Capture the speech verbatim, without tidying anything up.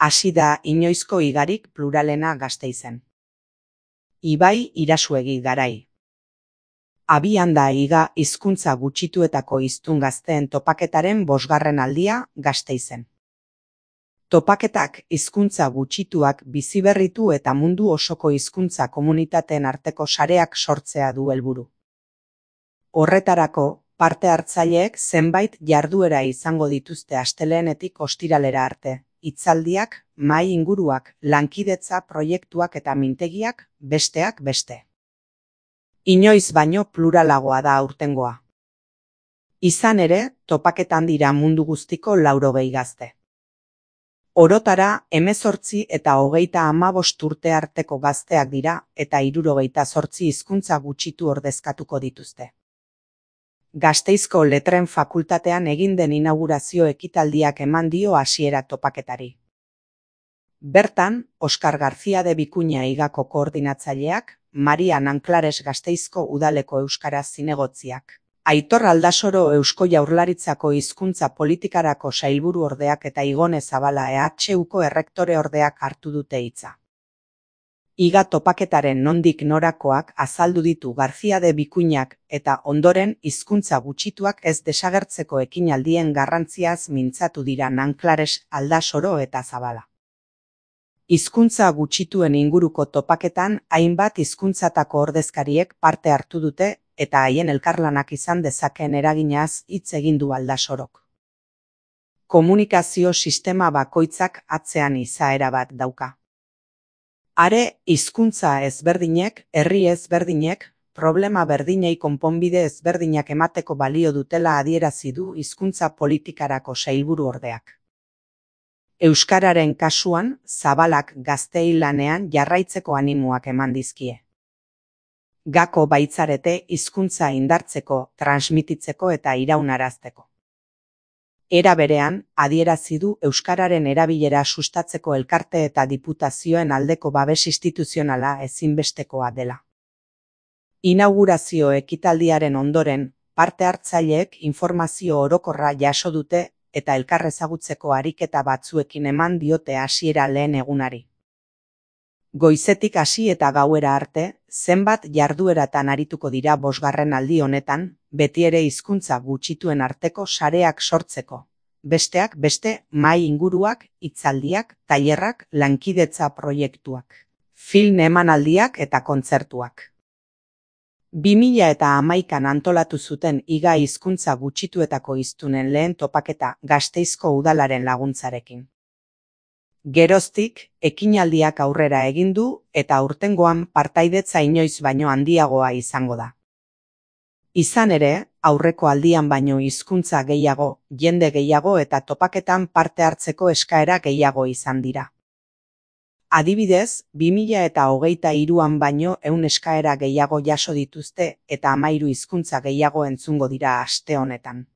Hasi da inoizko igarik pluralena Gasteizen. Ibai Irasuegi Garai. Abian da iga hizkuntza gutxituetako hiztun gazteen topaketaren bosgarren aldia Gasteizen. Topaketak hizkuntza gutxituak biziberritu eta mundu osoko hizkuntza komunitateen arteko sareak sortzea du helburu. Horretarako, parte hartzaileek zenbait jarduera izango dituzte astelehenetik ostiralera arte. Hitzaldiak, mahai inguruak, lankidetza proiektuak eta mintegiak, besteak beste. Inoiz baino pluralagoa da aurtengoa. Izan ere, topaketan dira mundu guztiko laurogei gazte. Orotara, hemezortzi eta hogeita hamabost urte arteko gazteak dira eta hirurogeita zortzi hizkuntza gutxitu ordezkatuko dituzte. Gasteizko Letren Fakultatean egin den inaugurazio ekitaldiak eman dio hasiera topaketari. Bertan, Oskar García de Bikuña igako koordinatzaileak, Maria Nanklares Gasteizko Udaleko Euskaraz zinegotziak, Aitor Aldasoro Eusko Jaurlaritzako hizkuntza politikarako sailburuordeak eta Igone Zabala E H Uko errektoreordeak hartu dute hitza. Iga topaketaren nondik norakoak azaldu ditu García de Bikuñak eta ondoren hizkuntza gutxituak ez desagertzeko ekinaldien garrantziaz mintzatu dira Nanklares, Aldasoro eta Zabala. Hizkuntza gutxituen inguruko topaketan hainbat hizkuntzatako ordezkariek parte hartu dute eta haien elkarlanak izan dezakeen eraginaz hitz egin du Aldasorok. Komunikazio sistema bakoitzak atzean izaera bat dauka. Are, hizkuntza ezberdinek, herri ezberdinek, problema berdinei konponbide ezberdinak emateko balio dutela adierazi du hizkuntza politikarako sailburuordeak. Euskararen kasuan, Zabalak gazteei lanean jarraitzeko animoak eman dizkie. Gako baitzarete hizkuntza indartzeko, transmititzeko eta iraunarazteko. Era berean, adierazi du euskararen erabilera sustatzeko elkarte eta diputazioen aldeko babes instituzionala ezinbestekoa dela. Inaugurazio ekitaldiaren ondoren, parte hartzaileek informazio orokorra jaso dute eta elkar ezagutzeko ariketa batzuekin eman diote hasiera lehen egunari. Goizetik hasi eta gauera arte, zenbat jardueratan arituko dira bosgarren aldi honetan, beti ere hizkuntza gutxituen arteko sareak sortzeko. Besteak beste, mahai inguruak, hitzaldiak, tailerrak, lankidetza proiektuak, film emanaldiak eta kontzertuak. bi mila hamaikan antolatu zuten iga hizkuntza gutxituetako hiztunen lehen topaketa Gasteizko Udalaren laguntzarekin. Geroztik, ekinaldiak aurrera egin du eta aurtengoan partaidetza inoiz baino handiagoa izango da. Izan ere, aurreko aldian baino hizkuntza gehiago, jende gehiago eta topaketan parte hartzeko eskaera gehiago izan dira. Adibidez, bi mila hogeita hiruan baino ehun eskaera gehiago jaso dituzte eta hamahiru hizkuntza gehiago entzungo dira aste honetan.